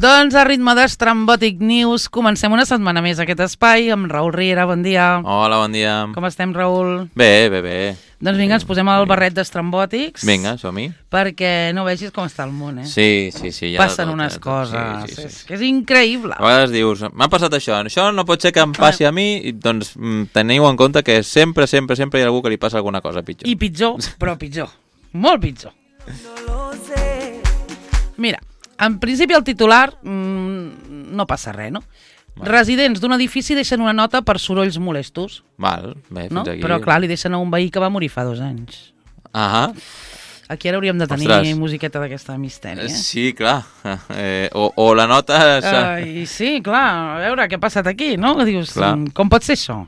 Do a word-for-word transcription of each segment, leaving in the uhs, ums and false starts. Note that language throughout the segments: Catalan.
Doncs a ritme d'Estrambòtic News comencem una setmana més aquest espai amb Raül Riera, bon dia. Hola, bon dia. Com estem, Raül? Bé, bé, bé. Doncs vinga, ens posem el barret d'Estrambòtics. Vinga, som-hi. Perquè no vegis com està el món, eh? Sí, sí, sí. Ja Passen tot, unes ja coses, sí, sí, sí. és que és increïble. A vegades dius, m'ha passat això, això no pot ser que em passi a mi, i doncs teniu en compte que sempre, sempre, sempre hi ha algú que li passa alguna cosa pitjor. I pitjor, però pitjor. Molt pitjor. Mira, en principi el titular mmm, no passa res, no? Val. Residents d'un edifici deixen una nota per sorolls molestos. Val, bé, fins no? aquí. Però clar, li deixen a un veí que va morir fa dos anys. Ahà. Aquí ara hauríem de tenir Ostres. musiqueta d'aquesta misteri, eh? Sí, clar. Eh, o, o la nota... Uh, sí, clar, a veure què ha passat aquí, no? Dius, clar. Com pot ser això?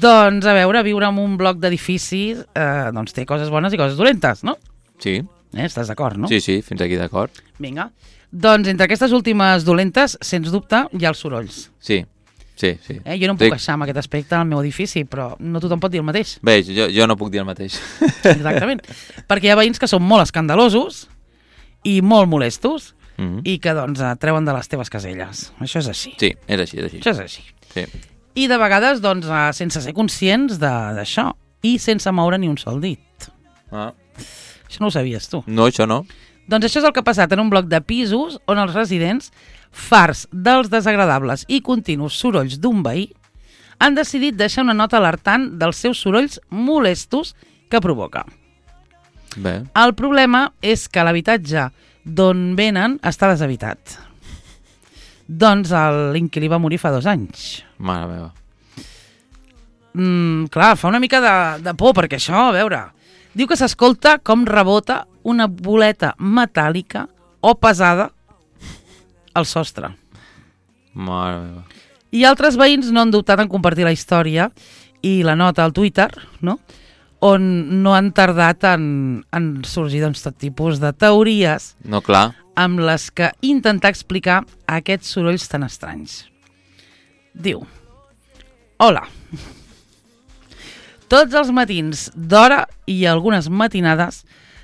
Doncs, a veure, viure en un bloc d'edificis eh, doncs té coses bones i coses dolentes, no? Sí. Eh, estàs d'acord, no? Sí, sí, fins aquí d'acord. Vinga. Doncs entre aquestes últimes dolentes, sens dubte, hi ha els sorolls. Sí, sí, sí. Eh, jo no em puc queixar amb aquest aspecte al meu edifici, però no tothom pot dir el mateix. Bé, jo, jo no puc dir el mateix. Exactament. Perquè hi ha veïns que són molt escandalosos i molt molestos mm-hmm. i que, doncs, treuen de les teves caselles. Això és així. Sí, és així, és així. Això és així. Sí. I de vegades, doncs, sense ser conscients d'això i sense moure ni un sol dit. Ah. Això no ho sabies, tu? No, això no. Doncs això és el que ha passat en un bloc de pisos on els residents, farts dels desagradables i continus sorolls d'un veí, han decidit deixar una nota alertant dels seus sorolls molestos que provoca. Bé. El problema és que l'habitatge d'on venen està deshabitat. Doncs l'inquilí va morir fa dos anys. Mare meva. Mm, clar, fa una mica de, de por, perquè això, a veure... Diu que s'escolta com rebota una boleta metàl·lica o pesada al sostre. Mare meva. I altres veïns no han dubtat en compartir la història i la nota al Twitter, no? On no han tardat en, en sorgir doncs, tot tipus de teories no, clar. Amb les que intentar explicar aquests sorolls tan estranys. Diu: Hola. Tots els matins d'hora i algunes matinades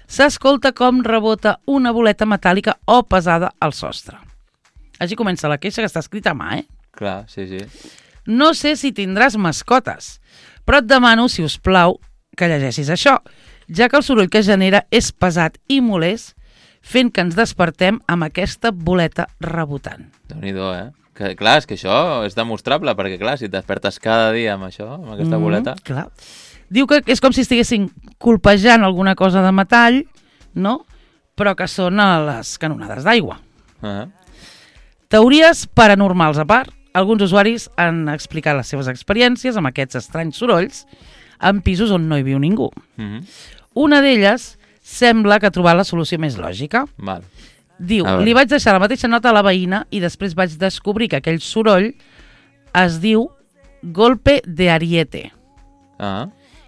s'escolta com rebota una boleta metàl·lica o pesada al sostre. Així comença la queixa, que està escrita a mà, eh? Clar, sí, sí. No sé si tindràs mascotes, però et demano, si us plau, que llegeixis això, ja que el soroll que genera és pesat i molest, fent que ens despertem amb aquesta boleta rebotant. Déu-n'hi-do, eh? Que, clar, és que això és demostrable, perquè clar, si et despertes cada dia amb això, amb aquesta mm, boleta... Clar. Diu que és com si estiguessin colpejant alguna cosa de metall, no? Però que són a les canonades d'aigua. Uh-huh. Teories paranormals a part, alguns usuaris han explicat les seves experiències amb aquests estranys sorolls en pisos on no hi viu ningú. Uh-huh. Una d'elles sembla que ha trobat la solució més lògica. Val. Diu, li vaig deixar la mateixa nota a la veïna i després vaig descobrir que aquell soroll es diu golpe de ariete ah,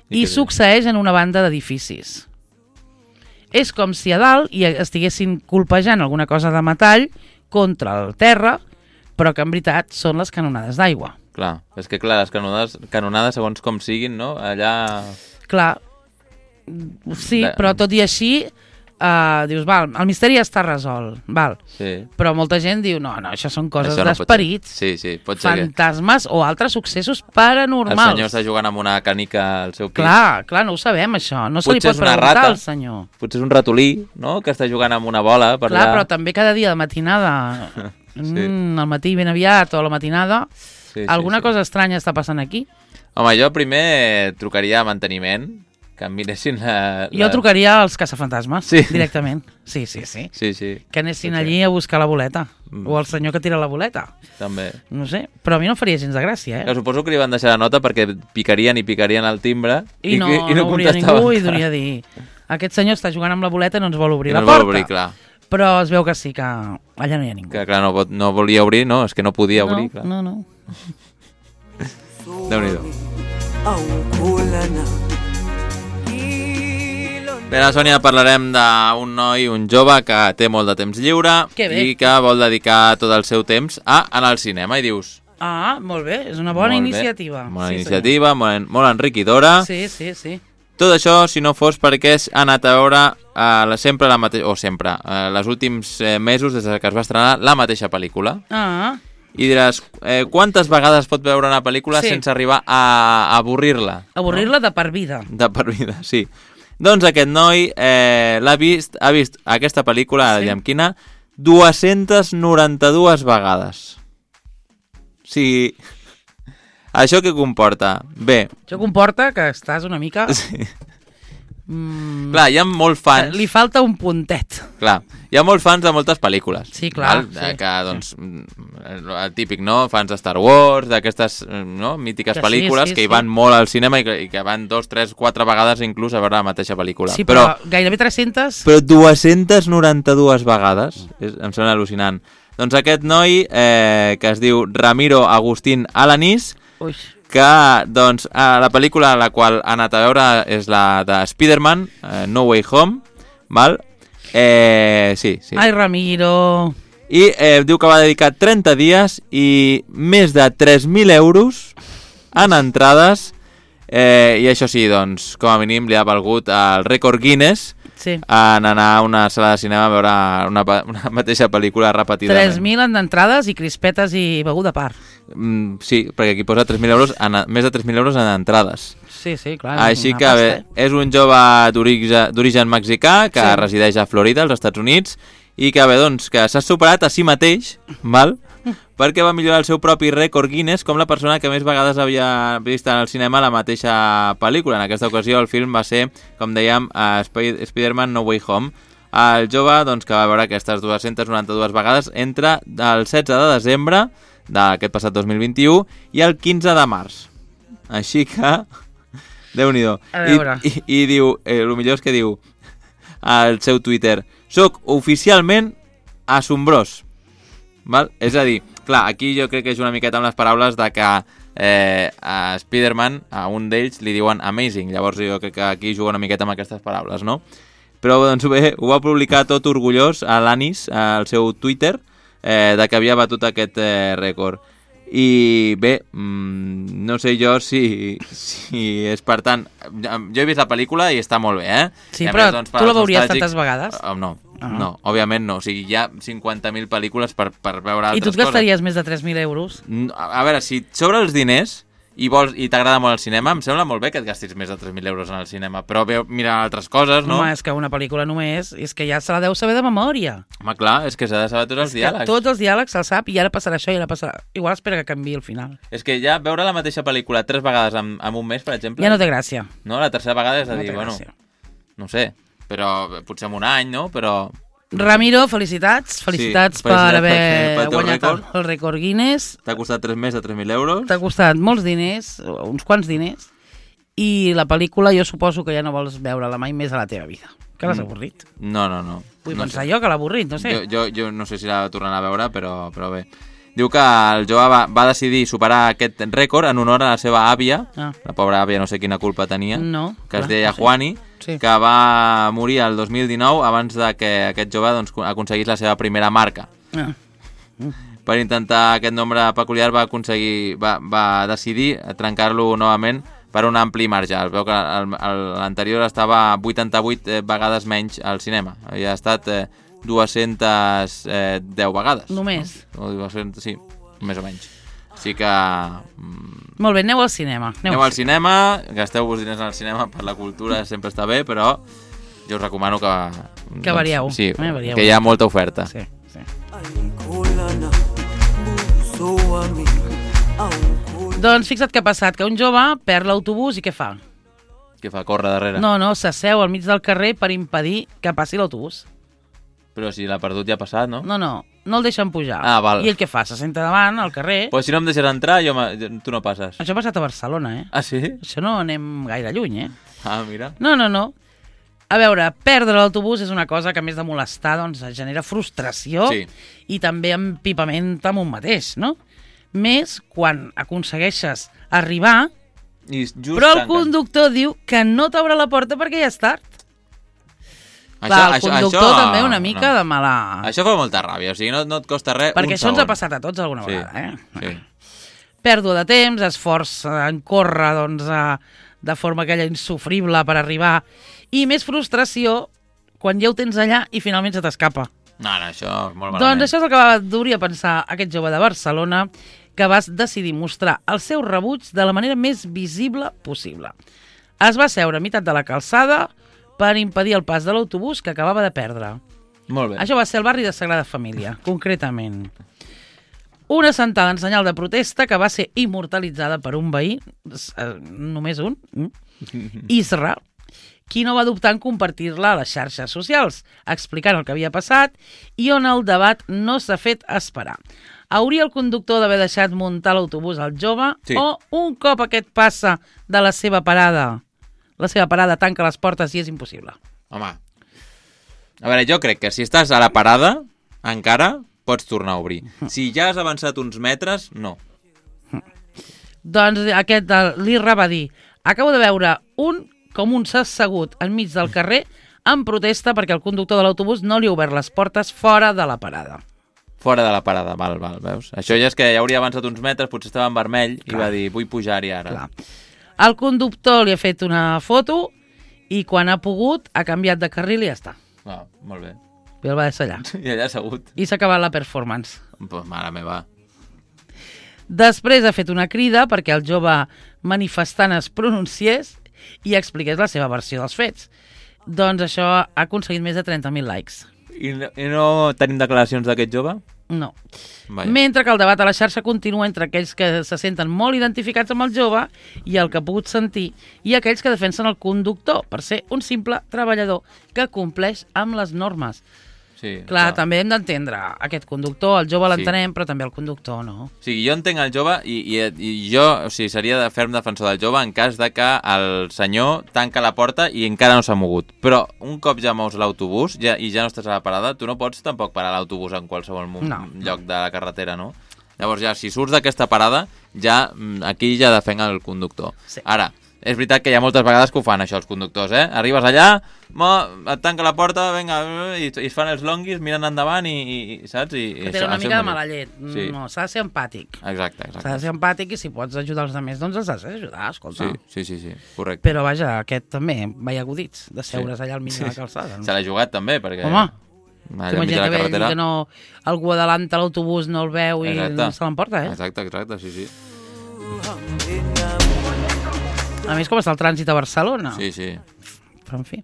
i, i succeeix en una banda d'edificis. És com si a dalt hi estiguessin colpejant alguna cosa de metall contra el terra, però que en veritat són les canonades d'aigua. Clar, és que clar, les canonades, canonades segons com siguin, no? Allà... Clar, sí, de... però tot i així... Uh, dius, val, el misteri ja està resolt, val. Sí. Però molta gent diu, no, no, això són coses no d'esperits, sí, sí, pot ser fantasmes que... o altres successos paranormals. El senyor està jugant amb una canica al seu pis. Clar, clar, no ho sabem, això. No se li pot preguntar rata, al senyor. Potser és un ratolí, no?, que està jugant amb una bola. Per clar, allà. Però també cada dia de matinada, sí. mm, al matí ben aviat o a la matinada, sí, alguna sí, sí. cosa estranya està passant aquí. Home, jo primer trucaria a manteniment, que em miressin la... Jo la... trucaria als caçafantasmes, sí. directament. Sí, sí, sí. sí, sí. Que anessin allí a buscar la boleta. Mm. O el senyor que tira la boleta. També. No sé, però a mi no faria gens de gràcia, eh? Que suposo que li van deixar la nota perquè picarien i picarien al timbre i, i no, i no, no obria ningú i duria dir aquest senyor està jugant amb la boleta i no ens vol obrir I la no porta. Vol obrir, clar. Però es veu que sí, que allà no hi ha ningú. Que clar, no, no volia obrir, no, és que no podia no, obrir, clar. No, no, Déu-n'hi-do. Bé, a la Sònia parlarem d'un noi, un jove que té molt de temps lliure i que vol dedicar tot el seu temps a anar al cinema i dius... Ah, molt bé, és una bona molt iniciativa. Bé. Bona sí, iniciativa, molt, molt enriquidora. Sí, sí, sí. Tot això si no fos perquè has anat a veure uh, sempre la mateixa, o sempre, uh, els últims uh, mesos des que es va estrenar la mateixa pel·lícula. Ah. I diràs, eh, quantes vegades pot veure una pel·lícula sí. sense arribar a, a avorrir-la? Avorrir-la no? de per vida. De per vida, sí. Doncs aquest noi eh, l'ha vist, ha vist aquesta pel·lícula, sí. diguem quina, dues-centes noranta-dues vegades. O sigui, això què comporta? Bé. Això comporta que estàs una mica... Sí. Mm, clar, hi ha molts fans... Li falta un puntet. Clar, hi ha molts fans de moltes pel·lícules. Sí, clar. Val? Sí, que, doncs, sí. El típic, no? Fans de Star Wars, d'aquestes no? mítiques que pel·lícules sí, sí, que hi van sí. molt al cinema i que, i que van dos, tres, quatre vegades inclús a veure la mateixa pel·lícula. Sí, però, però gairebé tres-centes... Però dues-centes noranta-dues vegades, és, em sembla al·lucinant. Doncs aquest noi, eh, que es diu Ramiro Agustín Alanís, Ui. que doncs, la pel·lícula a la qual ha anat a veure és la de Spider-Man, eh, No Way Home, val? Eh, sí, sí. Ai, Ramiro... I eh, diu que va dedicar trenta dies i més de tres mil euros en entrades, eh, i això sí, doncs, com a mínim li ha valgut el rècord Guinness sí. en anar a una sala de cinema a veure una, una mateixa pel·lícula repetidament. tres mil en entrades i crispetes i beguda a part. Mm, sí, perquè aquí posa tres mil euros, en, més de tres mil euros en entrades. Sí, sí, clar. Així que bé, és un jove d'origen mexicà que sí. resideix a Florida, als Estats Units, i que bé, doncs, que s'ha superat a si mateix, val? perquè va millorar el seu propi rècord Guinness com la persona que més vegades havia vist en el cinema la mateixa pel·lícula. En aquesta ocasió el film va ser, com dèiem, uh, Spider-Man No Way Home. El jove doncs, que va veure aquestes dues-centes noranta-dues vegades entre el setze de desembre d'aquest passat dos mil vint-i-u i el quinze de març. Així que... Déu-n'hi-do. I, i, I diu, eh, el millor és que diu al seu Twitter: soc oficialment assombrós. Val? És a dir, clar, aquí jo crec que és una miqueta amb les paraules de que eh, a Spider-Man, a un d'ells, li diuen amazing. Llavors jo crec que aquí juga una miqueta amb aquestes paraules, no? Però doncs bé, ho va publicar tot orgullós a l'Anis, al seu Twitter, eh, de que havia batut aquest eh, rècord. I bé, mmm, no sé jo si, si és per tant... Jo he vist la pel·lícula i està molt bé, eh? Sí, però més, doncs, tu la veuries tantes vegades? Uh, no, uh -huh. no, òbviament no. O sigui, hi ha cinquanta mil pel·lícules per, per veure altres coses. I tu et gastaries coses. Més de tres mil euros? A, a veure, si sobre els diners... i vols i t'agrada molt el cinema, em sembla molt bé que et gastis més de tres mil euros en el cinema, però bé, mira altres coses, no? Home, és que una pel·lícula només, és que ja se la deu saber de memòria. Home, clar, és que s'ha de saber tots els diàlegs. Tots els diàlegs se'ls sap i ara passarà això i ara passarà... Igual espera que canviï el final. És que ja veure la mateixa pel·lícula tres vegades en, en un mes, per exemple... Ja no té gràcia. No, la tercera vegada és a no dir, bueno, no sé, però potser en un any, no? Però... Ramiro, felicitats, felicitats sí, per haver per, per guanyat rècord. el rècord Guinness. T'ha costat tres més de tres mil euros. T'ha costat molts diners, uns quants diners, i la pel·lícula jo suposo que ja no vols veure-la mai més a la teva vida. Que l'has avorrit? No, no, no. Vull no pensar sé. jo que l'ha avorrit, no sé. Jo, jo, jo no sé si la tornarà a veure, però, però bé. Diu que el jove va, va decidir superar aquest rècord en honor a la seva àvia, ah. la pobra àvia no sé quina culpa tenia, no, que clar, es deia no sé. Juani, sí. que va morir el dos mil dinou abans de que aquest jove doncs, aconseguís la seva primera marca. Ah. Mm. Per intentar aquest nombre peculiar va aconseguir, va, va decidir trencar-lo novament per un ampli marge. Es veu que l'anterior estava vuitanta-vuit vegades menys al cinema. Havia estat eh, dues-centes deu vegades. Només? No? dues-centes, sí, més o menys. Així que... Mm, molt bé, aneu al cinema. Aneu, aneu al cinema, gasteu-vos diners al cinema per la cultura, sempre està bé, però jo us recomano que... Que varieu. Doncs, sí, eh, varieu. que hi ha molta oferta. Sí, sí. Doncs fixa't què ha passat, que un jove perd l'autobús i què fa? Què fa, córrer darrere? No, no, s'asseu al mig del carrer per impedir que passi l'autobús. Però si l'ha perdut ja ha passat, no? No, no, no el deixen pujar. Ah, val. I ell què fa? Se senta davant, al carrer... Però si no em deixes entrar, jo tu no passes. Això ha passat a Barcelona, eh? Ah, sí? Això no anem gaire lluny, eh? Ah, mira. No, no, no. A veure, perdre l'autobús és una cosa que, a més de molestar, doncs, genera frustració sí. i també empipament amb un mateix, no? Més quan aconsegueixes arribar, I just però el tanquen. conductor diu que no t'obre la porta perquè ja és tard. Això, Clar, el això, conductor això, també una mica no. de mala... Això fa molta ràbia, o sigui, no, no et costa res perquè un això segon. ens ha passat a tots alguna sí, vegada, eh? Sí. Pèrdua de temps, esforç en córrer, doncs, a, de forma aquella insufrible per arribar, i més frustració quan ja ho tens allà i finalment se t'escapa. No, no, això és molt malament. Doncs això és el que va dur a pensar aquest jove de Barcelona, que va decidir mostrar el seu rebuig de la manera més visible possible. Es va seure a meitat de la calçada per impedir el pas de l'autobús que acabava de perdre. Molt bé. Això va ser el barri de Sagrada Família, concretament. Una sentada en senyal de protesta que va ser immortalitzada per un veí, eh, només un, Isra, qui no va dubtar en compartir-la a les xarxes socials, explicant el que havia passat i on el debat no s'ha fet esperar. Hauria el conductor d'haver deixat muntar l'autobús al jove Sí. o un cop aquest passa de la seva parada, la seva parada tanca les portes i és impossible? Home, a veure, jo crec que si estàs a la parada, encara pots tornar a obrir. Si ja has avançat uns metres, no. Doncs aquest, l'Irra va dir: acabo de veure un com un s'ha assegut enmig del carrer en protesta perquè el conductor de l'autobús no li ha obert les portes fora de la parada. Fora de la parada, val, val, veus? Això ja és que ja hauria avançat uns metres, potser estava en vermell Clar. i va dir, vull pujar-hi ara. Clar. El conductor li ha fet una foto i quan ha pogut ha canviat de carril i ja està. Ah, molt bé. I el va deixar allà. I allà assegut. I s'ha acabat la performance. Pues mare meva. Després ha fet una crida perquè el jove manifestant es pronunciés i expliqués la seva versió dels fets. Doncs això ha aconseguit més de trenta mil likes. I no, i no tenim declaracions d'aquest jove? No. Vaja. Mentre que el debat a la xarxa continua entre aquells que se senten molt identificats amb el jove i el que ha pogut sentir, i aquells que defensen el conductor per ser un simple treballador que compleix amb les normes. Sí, Clar, també hem d'entendre aquest conductor, el jove l'entenem, Sí. però també el conductor, no? O sigui, jo entenc el jove i, i, i jo o sigui, seria de ferm defensor del jove en cas de que el senyor tanca la porta i encara no s'ha mogut. Però un cop ja mous l'autobús ja, i ja no estàs a la parada, tu no pots tampoc parar l'autobús en qualsevol no, No, lloc de la carretera, no? Llavors ja, si surts d'aquesta parada, ja aquí ja defenc el conductor. Sí. Ara, és veritat que hi ha moltes vegades que ho fan això els conductors, eh? Arribes allà, mo, et tanca la porta, venga, i, i es fan els longuis, miren endavant i, i saps? I, Que i té això, una això mica de és mala molt- llet. Sí. No, s'ha de ser empàtic. Exacte, S'ha de exacte. ser empàtic i si pots ajudar els altres, doncs els has d'ajudar, escolta. Sí, sí, sí, sí, correcte. Però vaja, aquest també, veia agudits, de seure's Sí. allà al mig de la calçada. Se l'ha jugat també, perquè... Home, allà al mig de t'imagina la que, carretera... que no, algú adalanta l'autobús, no el veu i Exacte. se l'emporta, eh? Exacte, exacte, sí, sí. A més, com està el trànsit a Barcelona. Sí, sí. Però, en fi.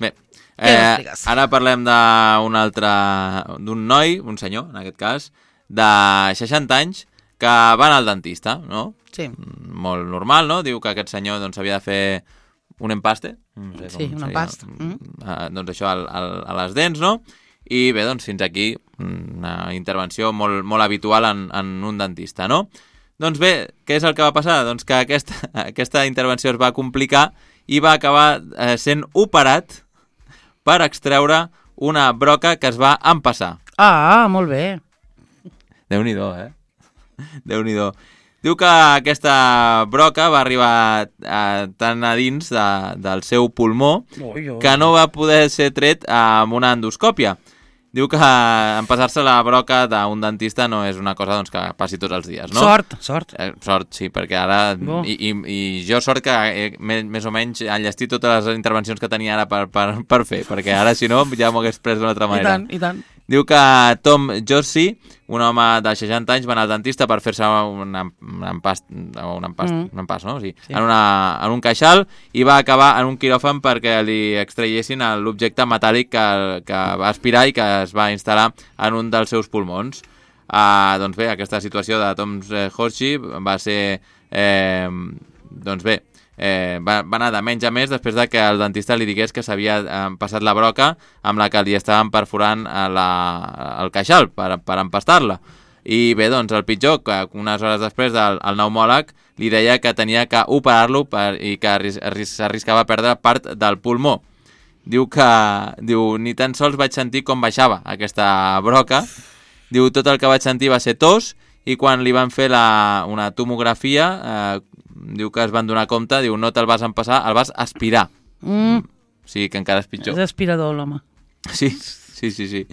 Bé, Què eh, m'expliques? ara parlem d'un altre... d'un noi, un senyor, en aquest cas, de seixanta anys, que va anar al dentista, no? Sí. Molt normal, no? Diu que aquest senyor doncs, havia de fer un empaste. No sé Sí, com un seria. empast. Mm. Uh, doncs això al, al, a les dents, no? I bé, doncs fins aquí una intervenció molt, molt habitual en, en un dentista, no? Doncs bé, què és el que va passar? Doncs que aquesta, aquesta intervenció es va complicar i va acabar eh, sent operat per extreure una broca que es va empassar. Ah, molt bé. Déu-n'hi-do, eh? Déu-n'hi-do. Diu que aquesta broca va arribar eh, tan a dins de, del seu pulmó Ui, ui. que no va poder ser tret amb una endoscòpia. Diu que empassar-se la broca d'un dentista no és una cosa doncs, que passi tots els dies, no? Sort, sort. Eh, sort, sí, perquè ara... Bo. I, i, I jo sort que he, més, més o menys enllestit totes les intervencions que tenia ara per, per, per fer, perquè ara, si no, ja m'ho hagués pres d'una altra I manera. tant, i tant. Diu que Tom Jorsey, un home de seixanta anys, va anar al dentista per fer-se un, un empast, un empast, Mm. un empast, no? Sí. Sí. En, una, en un queixal i va acabar en un quiròfan perquè li extraiessin l'objecte metàl·lic que, que va aspirar i que es va instal·lar en un dels seus pulmons. Uh, doncs bé, aquesta situació de Tom Jorsey va ser... Eh, doncs bé, eh, va, va anar de menys a més després de que el dentista li digués que s'havia eh, passat la broca amb la que li estaven perforant a la, el queixal per, per empastar-la. I bé, doncs el pitjor, que unes hores després del el pneumòleg li deia que tenia que operar-lo per, i que arris, arris, s'arriscava a perdre part del pulmó. Diu que diu, ni tan sols vaig sentir com baixava aquesta broca. Diu, tot el que vaig sentir va ser tos i quan li van fer la, una tomografia, eh, diu que es van donar compte, diu, no te'l vas empassar, el vas aspirar. Mm. O sigui que encara és pitjor. És aspirador, l'home. Sí, sí, sí, sí.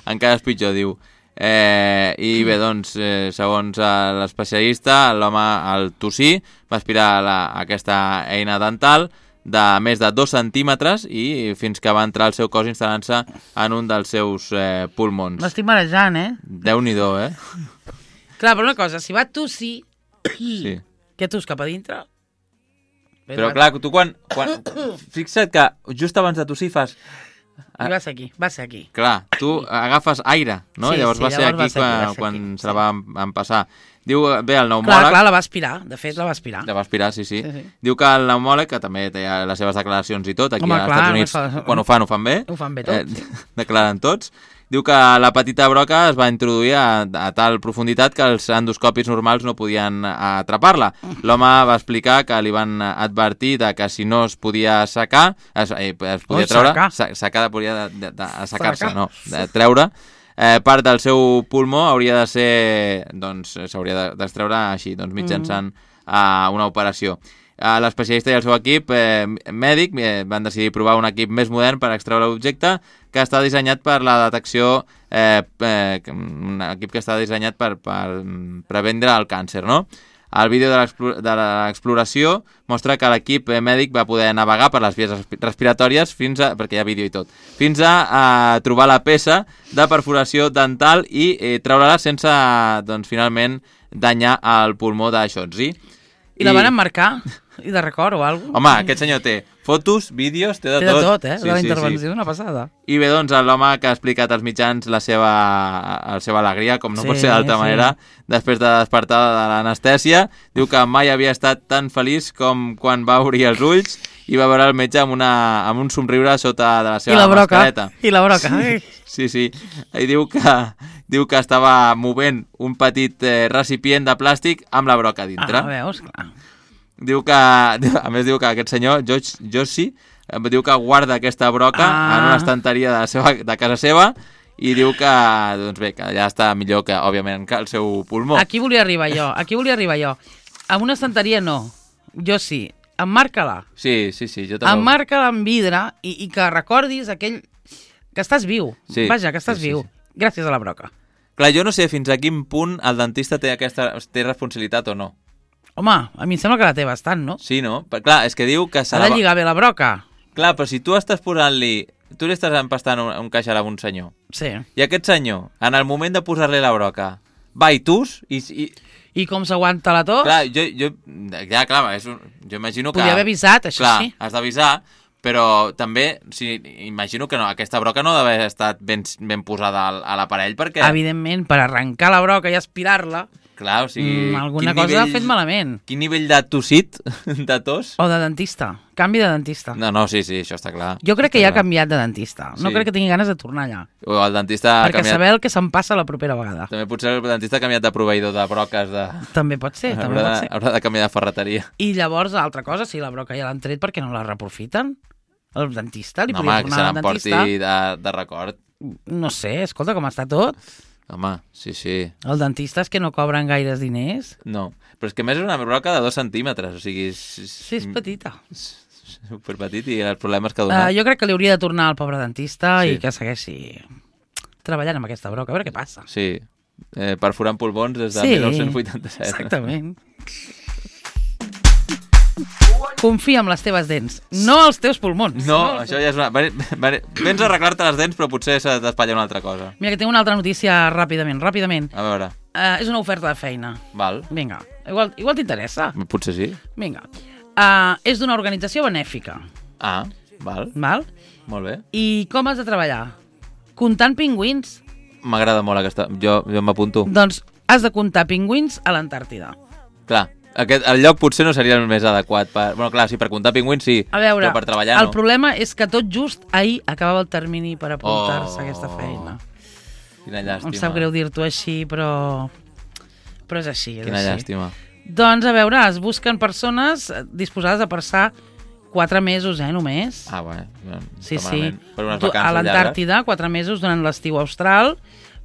Encara és pitjor, diu. Eh, I bé, doncs, eh, segons eh, l'especialista, l'home al tossir va aspirar la, aquesta eina dental, de més de dos centímetres i fins que va entrar al seu cos instal·lant-se en un dels seus eh, pulmons. M'estic marejant, eh? Déu-n'hi-do, eh? Clar, però una cosa, si va tossir, Sí. què tus cap a dintre? Però clar, tu quan, quan... Fixa't que just abans de tossir fas... I va ser aquí, va ser aquí. Clar, tu agafes aire, no? Sí, llavors sí, va ser llavors aquí va ser aquí, quan, va ser quan aquí, se la sí. va empassar. Diu, bé, el Clar, pneumòleg... clar, la va aspirar, de fet la va aspirar. La va aspirar, sí, sí. Sí, sí. Diu que el pneumòleg, que també té les seves declaracions i tot, aquí Home, als clar, Estats Units, fa- quan ho fan, ho fan bé. Ho fan bé tot, Eh, declaren tots. Diu que la petita broca es va introduir a, a tal profunditat que els endoscopis normals no podien atrapar-la. L'home va explicar que li van advertir de que si no es podia assecar, es, eh, es podia Ui, treure... secar. sa- Secar podia de, de, de, assecar-se, Secar. no, de treure. Eh, part del seu pulmó hauria de ser, doncs, s'hauria d'extreure així, doncs, mitjançant uh, una operació. Uh, L'especialista i el seu equip eh, mèdic eh, van decidir provar un equip més modern per extreure l'objecte que està dissenyat per la detecció, eh, eh, un equip que està dissenyat per, per prevendre el càncer, no? El vídeo de l'explo- de l'exploració mostra que l'equip mèdic va poder navegar per les vies respi- respiratòries fins a, perquè hi ha vídeo i tot, fins a, a trobar la peça de perforació dental i eh, treure-la sense, doncs, finalment, danyar el pulmó de Shotzi. I la van emmarcar? I de record o alguna cosa? Home, aquest senyor té fotos, vídeos, té de Té tot. de tot, eh? Sí, de la sí, intervenció, sí. una passada. I bé, doncs, l'home que ha explicat als mitjans la seva, la seva alegria, com no Sí, pot ser d'altra sí. manera, després de despertar de l'anestèsia, diu que mai havia estat tan feliç com quan va obrir els ulls i va veure el metge amb, una, amb un somriure sota de la I seva la broca. mascareta. I la broca. Ai. Sí, sí. I diu que, diu que estava movent un petit eh, recipient de plàstic amb la broca dintre. Ah, veus, clar. Diu que, a més diu que aquest senyor, George Jossi, diu que guarda aquesta broca Ah. en una estanteria de, la seva, de casa seva i diu que, doncs bé, que allà està millor que, òbviament, que el seu pulmó. Aquí volia arribar jo, aquí volia arribar jo. Amb una estanteria no, jo sí. Emmarca-la. Sí, sí, sí, jo també. Emmarca-la amb vidre i, i que recordis aquell... que estàs viu. Sí, Vaja, que estàs sí, sí, viu. sí. Gràcies a la broca. Clar, jo no sé fins a quin punt el dentista té aquesta té responsabilitat o no. Home, a mi em sembla que la té bastant, no? Sí, no? Però, clar, és que diu que se Ha la de va- lligar bé la broca. Clar, però si tu estàs posant-li... Tu li estàs empastant un, un caixar a un senyor. Sí. I aquest senyor, en el moment de posar-li la broca, va i tus i... i I com s'aguanta la tos? clar, jo, jo, ja, clar, és un, jo imagino que... Podia haver avisat, això clar, sí. has d'avisar, però també, si, imagino que no, aquesta broca no ha d'haver estat ben, ben posada al, a l'aparell, perquè... Evidentment, per arrencar la broca i aspirar-la, Clar, o sigui... mm, alguna quin cosa nivell, ha fet malament. Quin nivell de tossit, de tos? O de dentista. Canvi de dentista. No, no, sí, sí, això està clar. Jo crec que Està ja ha clar. canviat de dentista. No Sí. crec que tingui ganes de tornar allà. O el dentista ha Perquè canviat... saber el que se'n passa la propera vegada. També potser el dentista ha canviat de proveïdor de broques de... També pot ser, també haurà, pot de, ser. haurà de canviar de ferreteria. I llavors, altra cosa, si la broca ja l'han tret, per què no la reprofiten? El dentista? Li No, podria home, que tornar se al n'emporti dentista? de, de record. No sé, escolta com està tot. Home, sí, sí. El dentista és que no cobren gaires diners. No, però és que a més és una broca de dos centímetres, o sigui... És, Sí, és petita. superpetit i els problemes que ha Uh, donat. jo crec que li hauria de tornar al pobre dentista Sí. i que segueixi treballant amb aquesta broca, a veure què passa. Sí, eh, perforant pulmons des de Sí, dinou vuitanta-set. exactament. Confia en les teves dents, no els teus pulmons. No, això ja és una... Vens a arreglar-te les dents, però potser s'ha d'espatllar una altra cosa. Mira, que tinc una altra notícia ràpidament, ràpidament. A veure, Uh, és una oferta de feina. val. Vinga, igual, igual t'interessa. Potser sí. Vinga. Uh, és d'una organització benèfica, Ah, val. val? Molt bé. I com has de treballar? Comptant pingüins. M'agrada molt aquesta... Jo, jo m'apunto. Doncs has de comptar pingüins a l'Antàrtida. Clar, aquest, el lloc potser no seria el més adequat per... Bueno, clar, sí, per comptar pingüins sí, A veure, però per treballar el no. problema és que tot just ahir acabava el termini per apuntar-se Oh. a aquesta feina. Quina llàstima. Em sap greu dir-t'ho així, però... Però és així, és Quina així. llàstima. Doncs, a veure, es busquen persones disposades a passar quatre mesos, eh, només. Ah, bé. No, sí, està sí. malament. Per unes Tu- vacances a llargues. l'Antàrtida, quatre mesos durant l'estiu austral,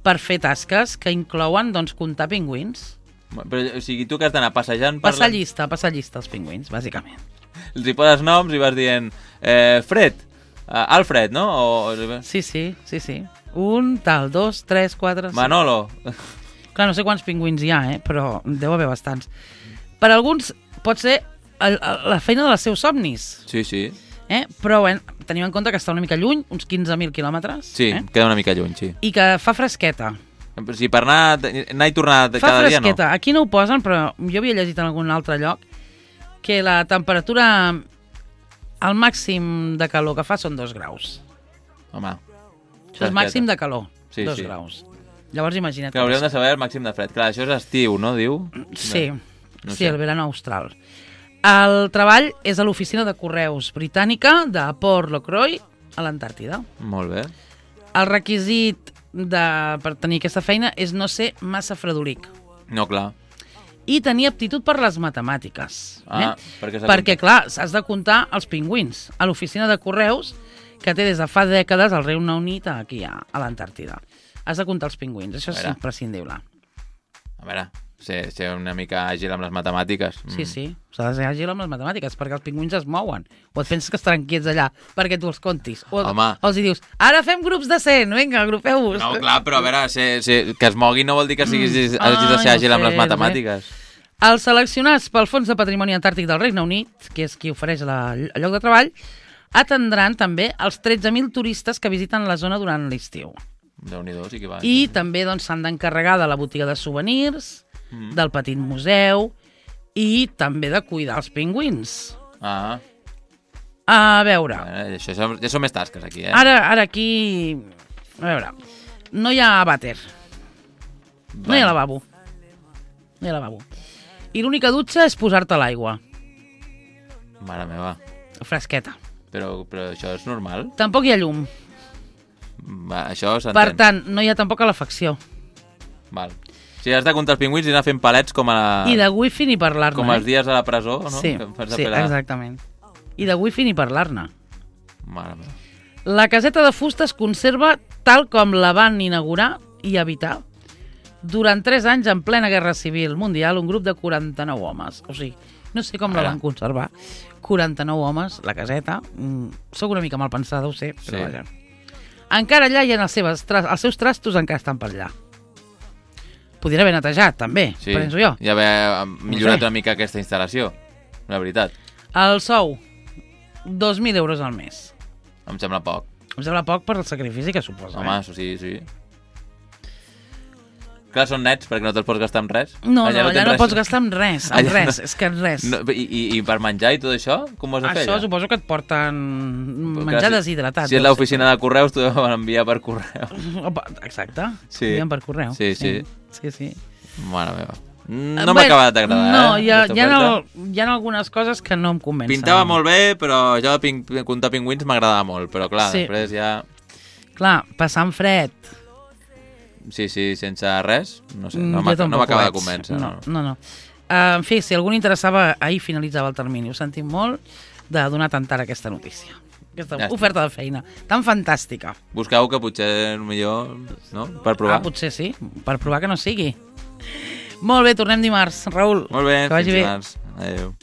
per fer tasques que inclouen, doncs, comptar pingüins. Però, o sigui, tu que has d'anar passejant... Passar la- llista, passar llista els pingüins, bàsicament. Els hi poses noms i vas dient... Eh, Fred, uh, Alfred, no? O, o, Sí, sí, sí, sí. Un, tal, dos, tres, quatre... Manolo. Clar, no sé quants pingüins hi ha, eh? Però deu haver bastants. Per alguns pot ser el, la feina dels seus somnis. Sí, sí. Eh? Però bueno, tenim en compte que està una mica lluny, uns quinze mil quilòmetres. Sí, eh? queda una mica lluny, sí. I que fa fresqueta. Sí, per anar, anar i tornar Fa cada dia, no. fresqueta. Aquí no ho posen, però jo havia llegit en algun altre lloc que la temperatura, el màxim de calor que fa són dos graus. Home. Això és màxim de calor, sí, dos sí. graus. Llavors imagina't. Que hauríem de saber el màxim de fred. Clar, això és estiu, no, diu? Sí, no sí, sé. el verano austral. El treball és a l'oficina de correus britànica de Port Locroy, a l'Antàrtida. Molt bé. El requisit de, per tenir aquesta feina és no ser massa fredolic. No, clar. I tenir aptitud per les matemàtiques. Ah, eh? perquè, perquè clar, has de comptar els pingüins a l'oficina de correus que té des de fa dècades el Regne Unit aquí a, a l'Antàrtida. Has de comptar els pingüins, això és imprescindible. A veure, ser, ser una mica àgil amb les matemàtiques. Sí, sí, s'ha de ser àgil amb les matemàtiques, perquè els pingüins es mouen. O et penses que estaran quiets allà perquè tu els contis. O, Home. o els hi dius, ara fem grups de cent, vinga, agrupeu-vos. No, clar, però a veure, ser, ser, que es mogui no vol dir que siguis, mm. hagis de ser àgil amb les matemàtiques. Els seleccionats pel Fons de Patrimoni Antàrtic del Regne Unit, que és qui ofereix la, el lloc de treball, atendran també els tretze mil turistes que visiten la zona durant l'estiu. Déu-n'hi-do, sí que va. I també doncs, s'han d'encarregar de la botiga de souvenirs, mm. del petit museu i també de cuidar els pingüins. Ah. A veure... Eh, això, això, ja són més tasques aquí, eh? Ara, ara aquí... A veure, no hi ha vàter. No hi ha lavabo. No hi ha lavabo. I l'única dutxa és posar-te a l'aigua. Mare meva. Fresqueta. Però, però això és normal? Tampoc hi ha llum. Va, això s'entén. Per tant, no hi ha tampoc calefacció. Val. Si has de comptar els pingüins i anar fent palets com a... La... I de wifi ni parlar-ne. Com els dies a la presó, no? Sí, sí, exactament. I de wifi ni parlar-ne. Mare meva. La caseta de fusta es conserva tal com la van inaugurar i habitar durant tres anys en plena Guerra Civil Mundial un grup de quaranta-nou homes. O sigui, no sé com la van conservar. quaranta-nou homes, la caseta. Mm, soc una mica mal pensada, ho sé, però sí. Vaja. Encara allà hi ha els seus, els seus trastos, encara estan per allà. Podria haver netejat, també, sí. penso jo. I haver millorat no sé. Una mica aquesta instal·lació, la veritat. El sou, dos mil euros al mes. Em sembla poc. Em sembla poc per el sacrifici que suposa. Home, eh? sí, sí. Clar, són nets, perquè no te'ls pots gastar amb res. No, allà no, allà no, no pots gastar amb res, amb allà res, no. És que res. No, i, i, I per menjar i tot això, com ho has de fer? Això allà? suposo que et porten menjar si, deshidratat. Si és l'oficina de correus, t'ho van enviar per correu. Exacte, sí. envien per correu. Sí, sí. Sí, sí. Mare meva. No m'ha acabat d'agradar, no, eh? Hi ha, hi, ha el, hi ha algunes coses que no em convencen. Pintava molt bé, però jo de pin, comptar pingüins m'agradava molt, però clar, sí. Després ja... Clar, passant fred... Sí, sí, sense res, no sé, no m'acaba de convèncer. No, no, no. Uh, en fi, si algú interessava, ahir finalitzava el termini. Ho sentim molt de donar tant ara aquesta notícia. Aquesta ja oferta de feina tan fantàstica. Busqueu que potser millor, no? Per provar. Ah, potser sí, per provar que no sigui. Molt bé, tornem dimarts, Raül. Molt bé, que vagi fins bé. dimarts. Adéu.